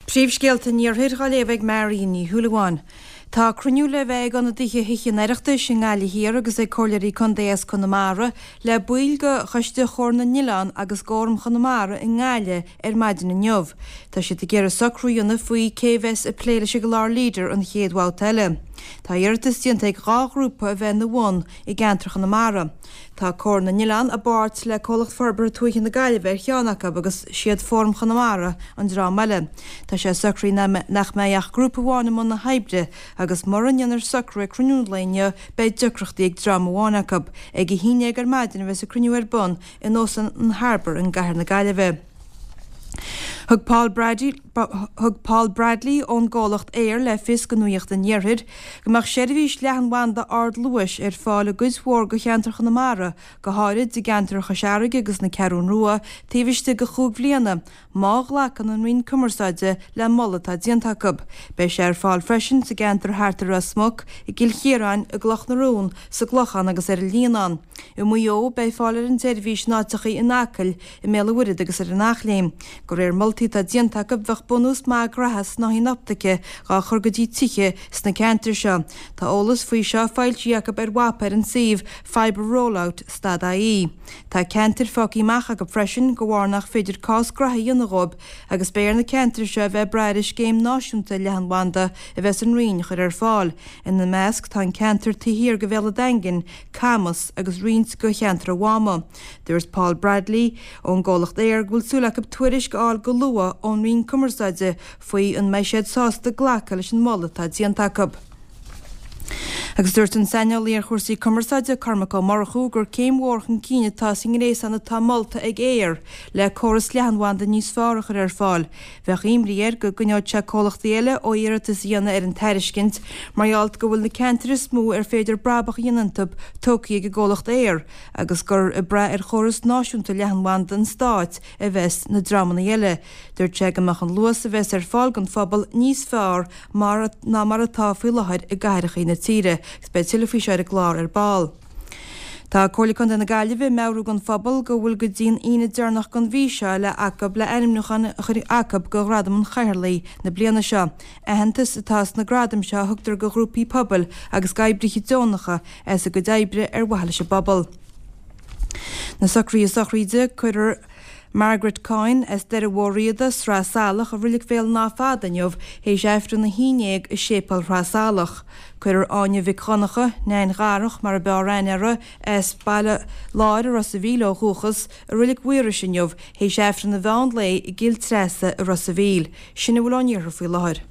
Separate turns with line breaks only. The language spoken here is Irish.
Príomhscéalta an Iarthair á léamh ag Marion Ní Shúilleabháin. Tá cruinniú le bheith ag ionadaithe Thithe an Oireachtais i nGaillimh Thiar agus ag Comhairleoirí Contae as Conamara le baill de Choiste Chomhar na nOileán agus d'Fhóram Chonamara i nGaillimh ar maidin inniu. Tá siad ag iarraidh socrú a dhéanamh faoi cé a bheas ag plé leis an gclár Leader an chéad bhabhta eile. Tá iarratas déanta ag 2 ghrúpa a bheith ina bhun i gceantar Chonamara. Tá Comhar na nOileán i bpáirt le Comhlacht Forbartha Tuaithe na Gaillimhe ar cheann acu agus siad Fóram Chonamara an dream eile. Tá sé socraithe nach mbeidh ach grúpa amháin i mbun na hoibre agus mura ndéanfar socrú ag cruinniú an lae inniu beidh deacrachtaí ag dream amháin acu. Ag a haon dhéag ar maidin a bheas an cruinniú ar bun in Óstán an Harbour i gcathair na Gaillimhe. Thug Paul Brady Thug Paul Bradley ón gcomhlacht Eir le fios do Nuacht an Iarthair go mbeadh seirbhís leathanbhanda ardluais ar fáil i gcuid mhór de cheantar Chonamara, go háirid i gceantar Chois Fharraige agus na Ceathrún Rua, taobh istigh de chúig bhliana, má ghlacann an Roinn Cumarsáide le moladh atá déanta acu. Beidh sé ar fáil freisin sa gceantar thart ar Ros Muc, i gCill Chiaráin, i gCloch na Rón, sa gClochán agus ar an Líonán. I Maigh Eo, beidh fáil ar an tseirbhís in áiteachaí in Acaill, i mBéal an Mhuirthead agus ar an Eachléim. De réir moltaí atá déanta acu, bheadh bunús maith graithe snáithín optaice dhá chur go dtí tithe sna ceantair seo. Tá eolas faoi seo foilsithe acu ar mhapa ar an suíomh Fibre Rollout stad ie. Tá ceantair fágtha amach acu freisin de bharr nach féidir cás graithe a dhéanamh dhóibh agus beidh ar na ceantair seo a bheith ag brath ar an scéim náisiúnta leathanbhanda a bheas an Roinn a chur ar fáil. Ina measc tá an ceantar taobh thiar de Bhéal an Daingin, Camas agus roinnt de cheantar an Mháma. Dúirt Paul Bradley ón gcomhlacht Eir go bhfuil súil acu tuairisc a fháil go luath ón Roinn Cumarsáide faoi an mbeidh siad sásta glacadh leis an moladh atá déanta acu. Agus dúirt an saineolaí ar chúrsaí cumarsáide Cormac Ó Murchú gur céim mhór chun cinn atá sa ngréasán atá molta ag Eir le córas leathanbhanda níos fearr a chur ar fáil. Bheadh imní air go gcoinneodh sé comhlachtaí eile ó iarratas a dhéanamh ar an tairiscint mar gheall go bhfuil na ceantair is mó ar féidir brabach a dhéanamh iontu tógtha ag an gcomhlacht Eir agus gur ag brath ar chóras náisiúnta leathanbhanda an stáit a bheas na dreamanna eile. Dúirt sé go mbeadh an luas a bheas ar fáil don phobal níos fearr mar ná mar atá faoi láthair i gcathracha na tíre agus beidh tuilleadh faoi seo ar an gclár ar ball. Tá Comhairle Contae na Gaillimhe ag meabhrú don phobal go bhfuil go dtí an Aoine deireanach den mhí seo le acu le ainmniúcháin a chur acu do Ghradam an Chathaoirligh na bliana seo. Aitheantas atá sna gradaim seo a thugtar do ghrúpaí pobail agus d'oibrithe deonacha as a gcuid oibre ar mhaithe leis an bpobal. Na socruithe sochraide, cuirfear Margaret Coyne as Doire Mhór Riada, Sraith Salach, i Reilig Bhéal an Átha Fada inniu théis Aifreann 11 i Séipéal Shraith Salach. Cuirfear Áine Mhic Dhonncha, Neain Dharach mar a b'fhearr aithne uirthi, as Baile Láir i Ros a' Mhíl ó dhúchas, i Reilig Mhaorais inniu théis Aifreann an mheán lae i gCill Treasa i Ros a' Mhíl. Sin a bhfuil ón iarthar faoi láthair.